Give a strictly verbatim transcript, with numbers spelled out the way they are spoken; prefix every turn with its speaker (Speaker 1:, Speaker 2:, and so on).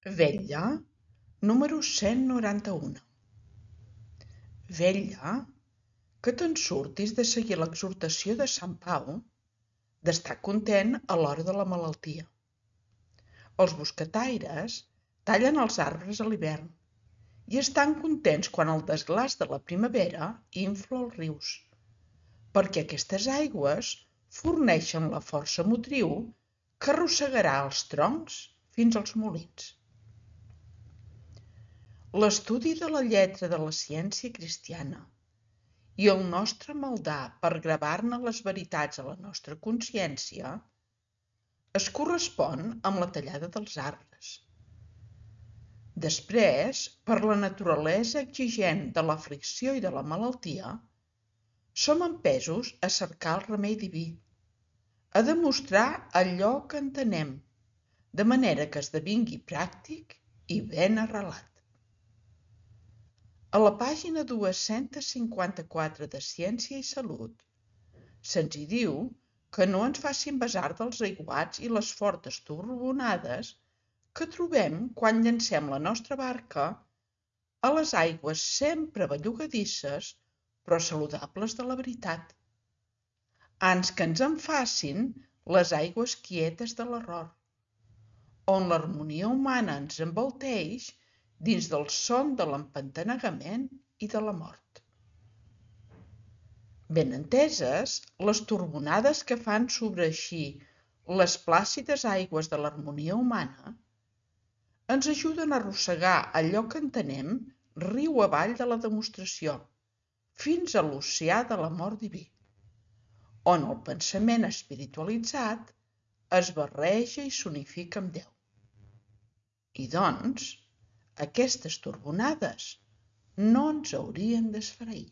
Speaker 1: Vetlla número cent noranta-u. Vetlla que te'n surtis de seguir l'exhortació de Sant Pau d'estar content a l'hora de la malaltia. Els boscataires tallen els arbres a l'hivern i estan contents quan el desglaç de la primavera infla els rius, perquè aquestes aigües forneixen la força motriu que arrossegarà els troncs fins als molins. L'estudi de la lletra de la ciència cristiana i el nostre maldar per gravar-ne les veritats a la nostra consciència es correspon amb la tallada dels arbres. Després, per la naturalesa exigent de l'aflicció i de la malaltia, som empesos a cercar el remei diví, a demostrar allò que entenem, de manera que esdevingui pràctic i ben arrelat. A la pàgina dos-cents cinquanta-quatre de Ciència i Salut se'ns hi diu que no ens facin besar dels aiguats i les fortes torbonades que trobem quan llancem la nostra barca a les aigües sempre bellugadisses però saludables de la veritat. Ans que ens en facin les aigües quietes de l'error, on l'harmonia humana ens envolteix dins del son de l'empantanegament i de la mort. Ben enteses, les torbonades que fan sobreeixir les plàcides aigües de l'harmonia humana ens ajuden a arrossegar allò que entenem riu avall de la demostració, fins a l'oceà de l'amor diví, on el pensament espiritualitzat es barreja i s'unifica amb Déu. I doncs, aquestes torbonades no ens haurien d'esfereir.